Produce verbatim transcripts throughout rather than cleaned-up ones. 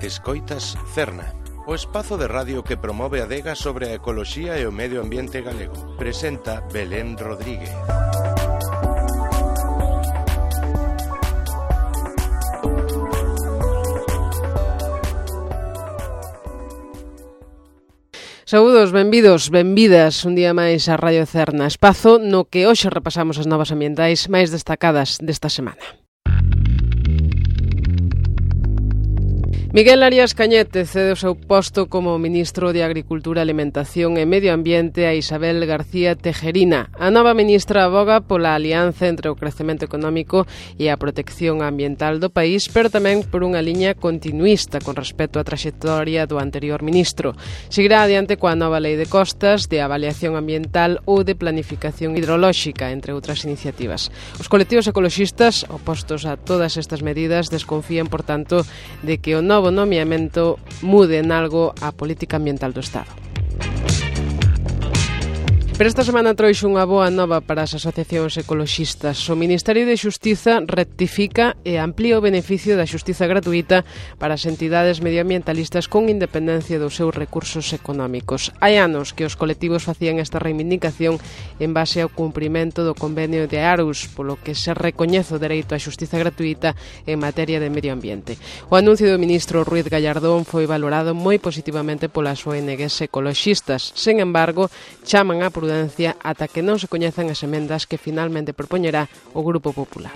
Escoitas Cerna, o espazo de radio que promove a adega sobre a ecoloxía e o medio ambiente galego. Presenta Belén Rodríguez. Saúdos, benvidos, benvidas un día máis a Radio Cerna, espazo no que hoxe repasamos as novas ambientais máis destacadas desta semana. Miguel Arias Cañete cede o seu posto como ministro de Agricultura, Alimentación e Medio Ambiente a Isabel García Tejerina. A nova ministra aboga pola alianza entre o crecemento económico e a protección ambiental do país, pero tamén por unha liña continuista con respecto á traxectoria do anterior ministro. Seguirá adiante coa nova lei de costas, de avaliación ambiental ou de planificación hidrolóxica, entre outras iniciativas. Os colectivos ecoloxistas, opostos a todas estas medidas, desconfían, por tanto, de que o novo O nomeamento mude en algo a política ambiental do Estado. Pero esta semana trouxe unha boa nova para as asociacións ecoloxistas. O Ministerio de Xustiza rectifica e amplía o beneficio da xustiza gratuita para as entidades medioambientalistas con independencia dos seus recursos económicos. Hai anos que os colectivos facían esta reivindicación en base ao cumprimento do convenio de Aarhus, polo que se recoñece o dereito á xustiza gratuita en materia de medio ambiente. O anuncio do ministro Ruiz Gallardón foi valorado moi positivamente polas O N Gs ecoloxistas. Sen embargo, chaman a prudencia ata que non se coñezan as emendas que finalmente propoñerá o Grupo Popular.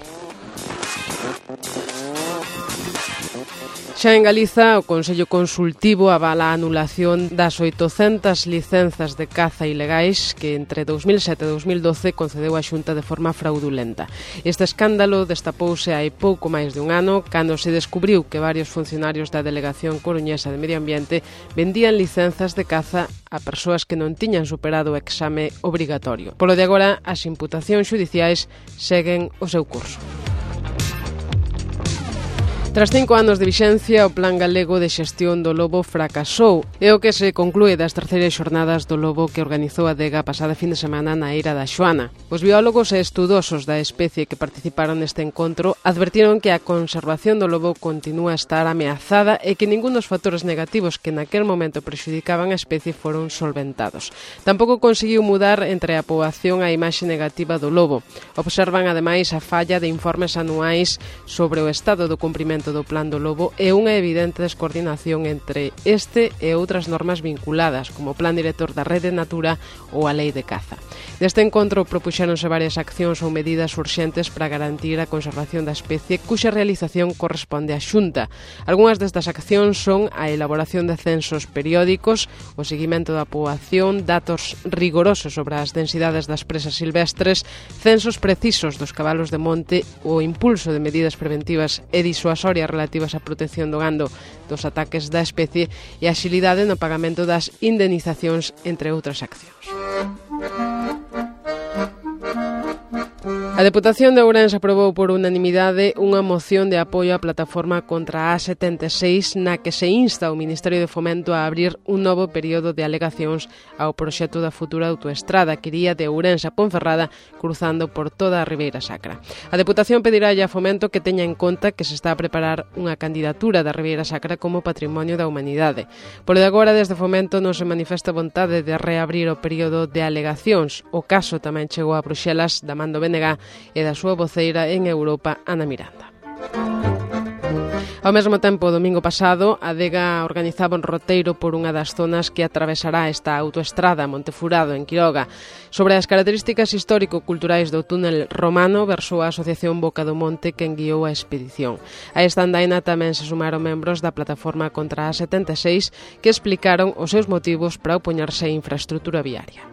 Xa en Galiza, o Consello Consultivo avala a anulación das oitocentas licenzas de caza ilegais que entre dous mil sete e dous mil doce concedeu a Xunta de forma fraudulenta. Este escándalo destapouse hai pouco máis de un ano cando se descubriu que varios funcionarios da Delegación Coruñesa de Medio Ambiente vendían licenzas de caza a persoas que non tiñan superado o exame obrigatorio. Polo de agora, as imputacións xudiciais seguen o seu curso. Tras cinco anos de vixencia, o Plan Galego de Xestión do Lobo fracasou. É o que se conclúe das terceiras xornadas do lobo que organizou a adega pasada fin de semana na Eira da Xoana. Os biólogos e estudosos da especie que participaron neste encontro advertiron que a conservación do lobo continúa a estar ameazada e que ningún dos factores negativos que naquel momento prexudicaban a especie foron solventados. Tampouco conseguiu mudar entre a poboación a imaxe negativa do lobo. Observan ademais a falla de informes anuais sobre o estado do cumprimento do Plan do Lobo e unha evidente descoordinación entre este e outras normas vinculadas, como o Plan Director da Rede Natura ou a Lei de Caza. Deste encontro propuxéronse varias accións ou medidas urxentes para garantir a conservación da especie, cuxa realización corresponde á Xunta. Algúnas destas accións son a elaboración de censos periódicos, o seguimento da poboación, datos rigorosos sobre as densidades das presas silvestres, censos precisos dos cabalos de monte, o impulso de medidas preventivas e disuasorias relativas á protección do gando dos ataques da especie e a axilidade no pagamento das indemnizacións, entre outras accións. A Deputación de Ourense aprobou por unanimidade unha moción de apoio á plataforma contra a A setenta e seis na que se insta ao Ministerio de Fomento a abrir un novo período de alegacións ao proxecto da futura autoestrada que iría de Ourense a Ponferrada cruzando por toda a Ribeira Sacra. A Deputación pedirálle a Fomento que teña en conta que se está a preparar unha candidatura da Ribeira Sacra como Patrimonio da Humanidade. Por de agora, desde Fomento non se manifesta vontade de reabrir o período de alegacións. O caso tamén chegou a Bruxelas da man do B N G e da súa voceira en Europa, Ana Miranda. Ao mesmo tempo, o domingo pasado, a adega organizaba un roteiro por unha das zonas que atravesará esta autoestrada Montefurado, en Quiroga. Sobre as características histórico-culturais do túnel romano, versou a Asociación Boca do Monte que enguiou a expedición. A esta andaina tamén se sumaron membros da plataforma contra a setenta e seis que explicaron os seus motivos para opoñerse á infraestrutura viaria.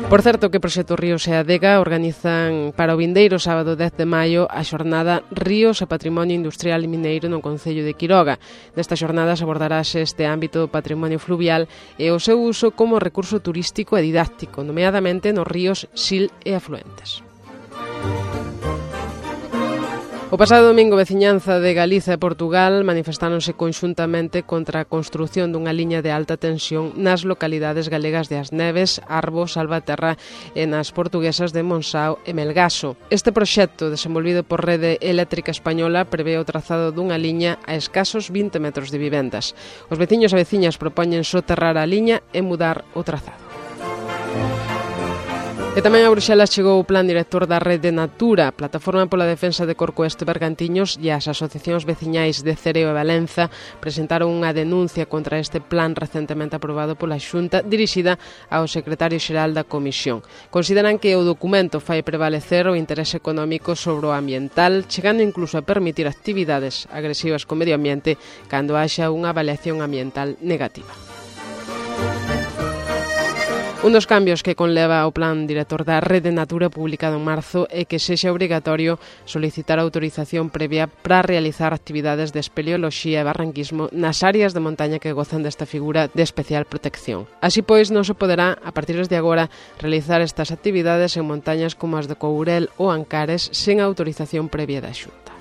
Por certo que Proxecto Ríos e Adega organizan para o vindeiro sábado dez de maio a xornada Ríos e Patrimonio Industrial e Mineiro no Concello de Quiroga. Nesta xornada se abordarase este ámbito do patrimonio fluvial e o seu uso como recurso turístico e didáctico, nomeadamente nos ríos Sil e afluentes. O pasado domingo, veciñanza de Galiza e Portugal manifestáronse conxuntamente contra a construción dunha liña de alta tensión nas localidades galegas de As Neves, Arbo, Salvaterra e nas portuguesas de Monsao e Melgaso. Este proxecto, desenvolvido por Rede Eléctrica Española, prevé o trazado dunha liña a escasos vinte metros de vivendas. Os veciños e veciñas propoñen soterrar a liña e mudar o trazado. E tamén a Bruxelas chegou o plan director da Rede Natura, Plataforma pola Defensa de Corcoesto e Bergantiños, e as asociacións veciñais de Cereo e Valenza presentaron unha denuncia contra este plan recentemente aprobado pola Xunta, dirixida ao secretario xeral da Comisión. Consideran que o documento fai prevalecer o interese económico sobre o ambiental, chegando incluso a permitir actividades agresivas co medio ambiente cando haxa unha avaliación ambiental negativa. Un dos cambios que conleva o plan director da Rede Natura publicado en marzo é que sexa obrigatorio solicitar autorización previa para realizar actividades de espeleoloxía e barranquismo nas áreas de montaña que gozan desta figura de especial protección. Así pois, non se poderá, a partir de agora, realizar estas actividades en montañas como as de Courel ou Ancares sen autorización previa da Xunta.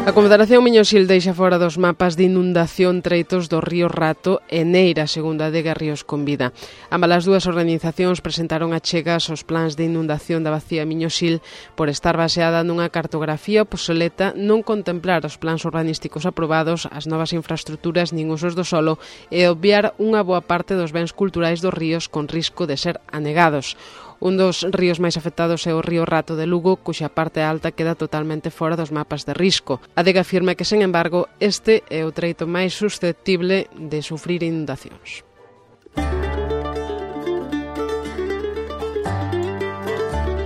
A Confederación Miñosil deixa fora dos mapas de inundación treitos do río Rato e Neira, segundo a Adega Ríos con Vida. Ambas as dúas organizacións presentaron achegas aos plans de inundación da bacía Miñosil por estar baseada nunha cartografía obsoleta, non contemplar os plans urbanísticos aprobados, as novas infraestructuras nin usos do solo e obviar unha boa parte dos bens culturais dos ríos con risco de ser anegados. Un dos ríos máis afectados é o río Rato de Lugo, cuxa parte alta queda totalmente fora dos mapas de risco. A Adega afirma que, sen embargo, este é o treito máis susceptible de sufrir inundacións.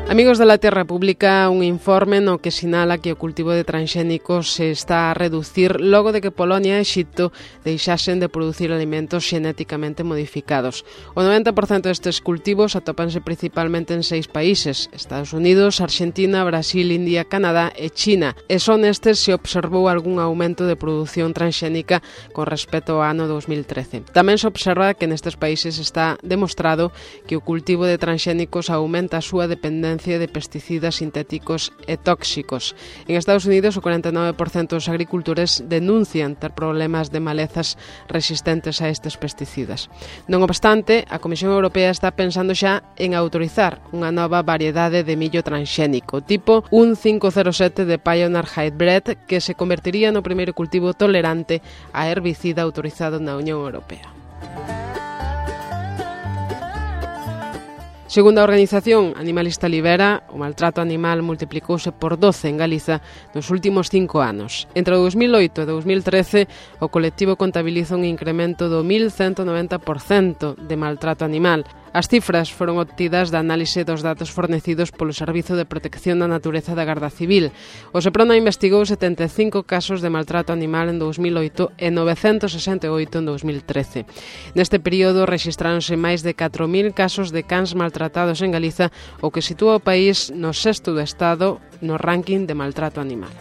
Amigos de la Terra publica un informe no que sinala que o cultivo de transxénicos se está a reducir logo de que Polonia e Exipto deixasen de producir alimentos xenéticamente modificados. O noventa por cento destes cultivos atópanse principalmente en seis países: Estados Unidos, Argentina, Brasil, India, Canadá e China. E son estes se observou algún aumento de produción transxénica con respecto ao ano dos mil trece. Tamén se observa que nestes países está demostrado que o cultivo de transxénicos aumenta a súa dependencia de pesticidas sintéticos e tóxicos. En Estados Unidos, o cuarenta e nove por cento dos agricultores denuncian ter problemas de malezas resistentes a estes pesticidas. Non obstante, a Comisión Europea está pensando xa en autorizar unha nova variedade de millo transxénico, tipo un cinco cero sete de Pioneer Hybrid, que se convertiría no primeiro cultivo tolerante a herbicida autorizado na Unión Europea. Segundo a organización Animalista Libera, o maltrato animal multiplicouse por doce en Galiza nos últimos cinco anos. Entre o dos mil oito e dos mil trece, o colectivo contabiliza un incremento do mil ciento noventa por cento de maltrato animal. As cifras foron obtidas da análise dos datos fornecidos polo Servizo de Protección da Natureza da Garda Civil. O Seprona investigou setenta e cinco casos de maltrato animal en dos mil oito e novecentos sesenta e oito en dos mil trece. Neste período rexistráronse máis de catro mil casos de cans maltratados en Galiza, o que sitúa o país no sexto do Estado no ranking de maltrato animal.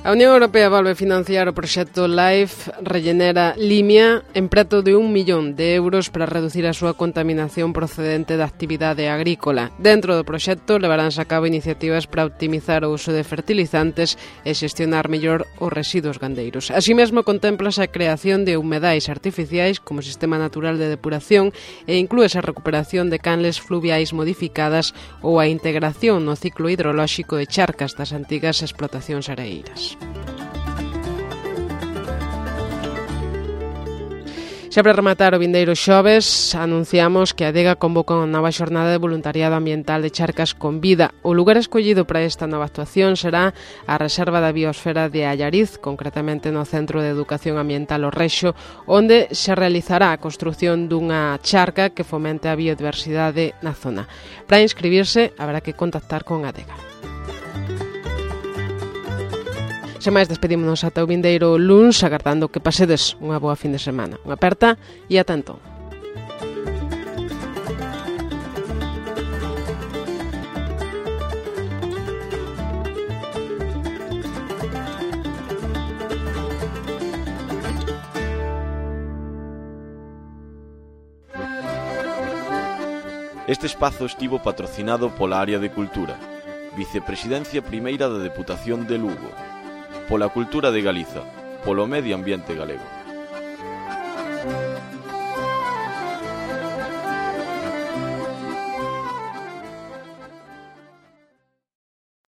A Unión Europea volve financiar o proxecto LIFE Rellenera Limia en preto de un millón de euros para reducir a súa contaminación procedente da actividade agrícola. Dentro do proxecto levaránse a cabo iniciativas para optimizar o uso de fertilizantes e xestionar mellor os residuos gandeiros. Así mesmo contémplase a creación de humedais artificiais como sistema natural de depuración e inclúese a recuperación de canles fluviais modificadas ou a integración no ciclo hidrolóxico de charcas das antigas explotacións areeiras. Xa para rematar o vindeiro xoves, anunciamos que a Adega convoca unha nova xornada de voluntariado ambiental de Charcas con Vida. O lugar escollido para esta nova actuación será a Reserva da Biosfera de Allariz, concretamente no Centro de Educación Ambiental O Rexo, onde se realizará a construción dunha charca que fomente a biodiversidade na zona. Para inscribirse, haberá que contactar con a Adega. Sen máis, despedímonos ata o vindeiro luns, agardando que pasedes unha boa fin de semana. Unha aperta e ata entón. Este espazo estivo patrocinado pola área de Cultura, Vicepresidencia Primeira da Deputación de Lugo, pola Cultura de Galiza, polo Medio Ambiente Galego.